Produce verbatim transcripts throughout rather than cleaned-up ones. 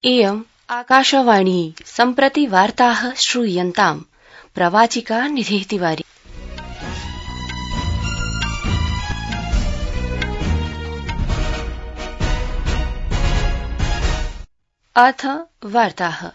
इयम् आकाशवाणी सम्प्रति वार्ताः श्रूयन्ताम्। प्रवाचिका निधिः तिवारी। अथ वार्ताः।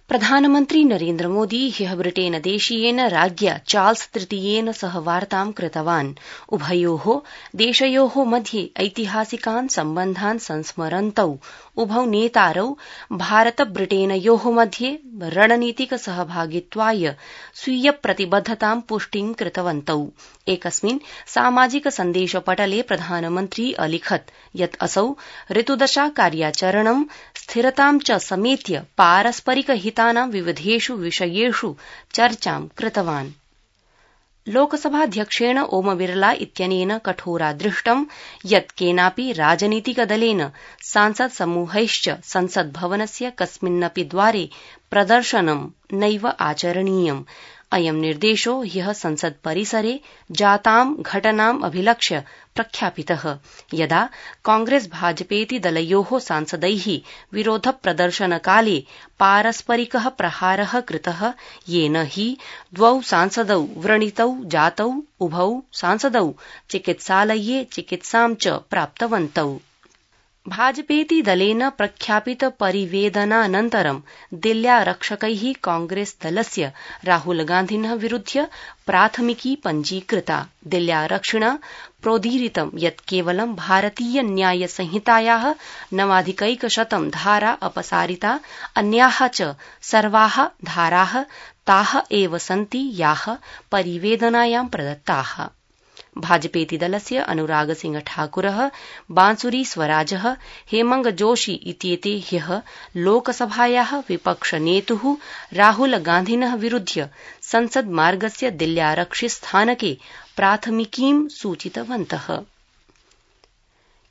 प्रधानमन्त्री नरेन्द्र मोदी ह्यः ब्रिटेन देशीयेन राज्ञा चार्ल्स तृतीयेन सह वार्तां कृतवान्। उभयोः देशयोः मध्ये ऐतिहासिकान् सम्बन्धान् संस्मरन्तौ उभौ नेतारौ भारत ब्रिटेनयोः मध्ये रणनीतिक सहभागित्वाय स्वीय प्रतिबद्धतां पुष्टिं कृतवन्तौ। एकस्मिन् सामाजिक सन्देशपटले प्रधानमन्त्री अलिखत् यत् असौ ऋतुदशा कार्याचरणं स्थिरतां च समेत्य पारस्परिक हितानां विविधेषु विषयेषु चर्चां कृतवान्। लोकसभाध्यक्षेण ओम बिरला इत्यनेन कठोरादृष्टं यत् केनापि राजनीतिकदलेन सांसद समूहैश्च संसद्भवनस्य कस्मिन्नपि द्वारे प्रदर्शनं नैव आचरणीयम्। अयं निर्देशो ह्यः संसत् परिसरे जातां घटनाम् अभिलक्ष्य प्रख्यापितः, यदा कांग्रेस भाजपेति दलयोः सांसदैः विरोध प्रदर्शनकाले पारस्परिकः प्रहारः कृतः, येन हि द्वौ सांसदौ व्रणितौ जातौ। उभौ सांसदौ चिकित्सालये चिकित्सां च प्राप्तवन्तौ। भाजपेति दलेन प्रख्यापित परिवेदनानन्तरं दिल्ल्यारक्षकैः कांग्रेस दलस्य राहुल गान्धिनः विरुध्य प्राथमिकी पञ्जीकृता। दिल्ल्यारक्षिणा प्रोदीरितं यत् केवलं भारतीय न्याय संहितायाः नवाधिकैकशतं धारा अपसारिता, अन्याः च सर्वाः धाराः ताः एव सन्ति याः परिवेदनायां प्रदत्ताः। भाजपेति दलस्य अनुराग सिंह ठाकुरः, बांसुरी स्वराजः, हेमंग जोशी इत्येते ह्यः लोकसभायाः विपक्षनेतुः राहुल गान्धिनः विरुध्य संसद् मार्गस्य दिल्ल्यारक्षिस्थानके प्राथमिकीं सूचितवन्तः।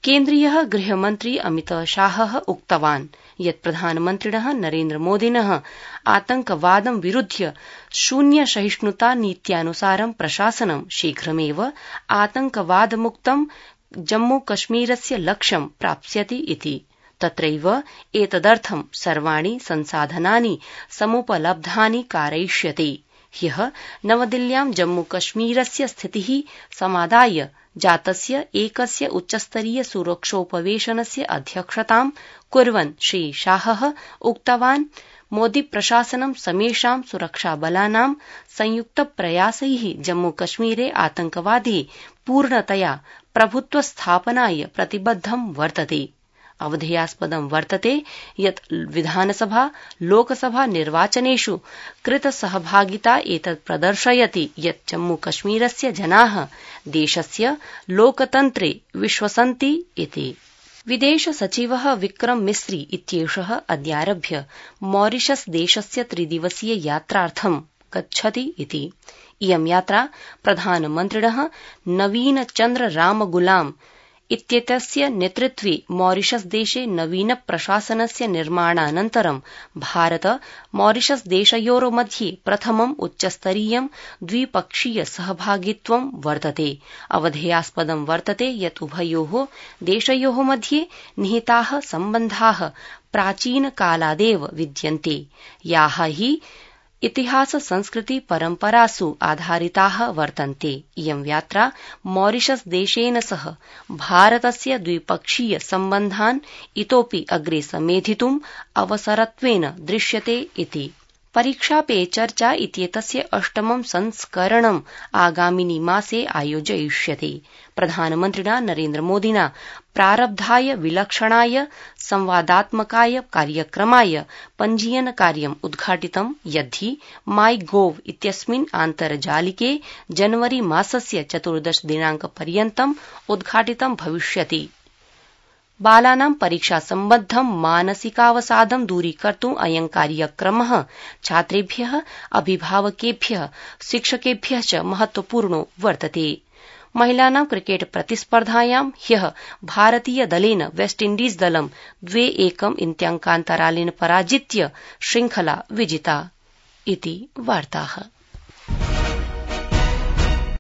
केन्द्रीयः गृहमन्त्री अमितशाहः उक्तवान् यत् प्रधानमन्त्रिणः नरेन्द्र मोदिनः आतंकवादं विरुध्य शून्य सहिष्णुता नीत्यानुसारं प्रशासनं शीघ्रमेव आतंकवादमुक्तं जम्मूकश्मीरस्य लक्ष्यं प्राप्स्यति इति। तत्रैव एतदर्थं सर्वाणि संसाधनानि समुपलब्धानि कारयिष्यते। ह्यः नवदिल्ल्यां जम्मूकश्मीरस्य स्थितिः समादाय जातस्य एकस्य उच्चस्तरीय सुरक्षोपवेशनस्य अध्यक्षतां कुर्वन् श्री शाहः उक्तवान् मोदी प्रशासनं समेषां सुरक्षाबलानां संयुक्तप्रयासैः जम्मूकश्मीरे आतंकवादे पूर्णतया प्रभुत्वस्थापनाय प्रतिबद्धं वर्तते। अवधेयास्पदं वर्तते यत् विधानसभा लोकसभा निर्वाचनेषु कृतसहभागिता एतत् प्रदर्शयति यत् जम्मूकश्मीरस्य जनाः देशस्य लोकतन्त्रे विश्वसन्ति इति। विदेश सचिवः विक्रम मिस्री इत्येषः अद्यारभ्य मॉरिशस देशस्य त्रिदिवसीय यात्रार्थं गच्छति इति। इयं यात्रा प्रधानमन्त्रिणः नवीन चन्द्र रामगुलाम इत्येतस्य नेतृत्वे मॉरिशस देशे नवीन प्रशासनस्य निर्माणानन्तरं भारत मॉरिशस देशयोर्मध्ये प्रथमम् उच्चस्तरीयं द्विपक्षीय सहभागित्वं वर्तते। अवधेयास्पदं वर्तते यत् उभयोः देशयोः मध्ये निहिताः सम्बन्धाः प्राचीनकालादेव विद्यन्ते, याः हि इतिहास संस्कृति परम्परासु आधारिताः वर्तन्ते। इयं यात्रा मॉरिशस देशेन सह भारतस्य द्विपक्षीय सम्बन्धान् इतोपि अग्रे समेधितुम् अवसरत्वेन दृश्यते इति। परीक्षा पे चर्चा इत्येतस्य अष्टमं संस्करणम् आगामिनि मासे आयोजयिष्यते। प्रधानमन्त्रिणा नरेन्द्र मोदिना प्रारब्धाय विलक्षणाय संवादात्मकाय कार्यक्रमाय पञ्जीयन कार्यम् उद्घाटितं, यद्धि माई गोव इत्यस्मिन् आन्तर्जालिके जनवरी मासस्य चतुर्दश दिनांक पर्यन्तम् उद्घाटितं भविष्यति। बालानां परीक्षा सम्बद्धं मानसिकावसादं दूरीकर्तुम् अयं कार्यक्रमः छात्रेभ्यः, अभिभावकेभ्यः, शिक्षकेभ्यः च महत्वपूर्णो वर्तते। महिलानां क्रिकेट प्रतिस्पर्धायां ह्यः भारतीय दलेन वेस्टइण्डीज दलं द्वे एकम् इत्याङ्कान्तरालेन पराजित्य श्रृंखला विजिता इति वार्ताः।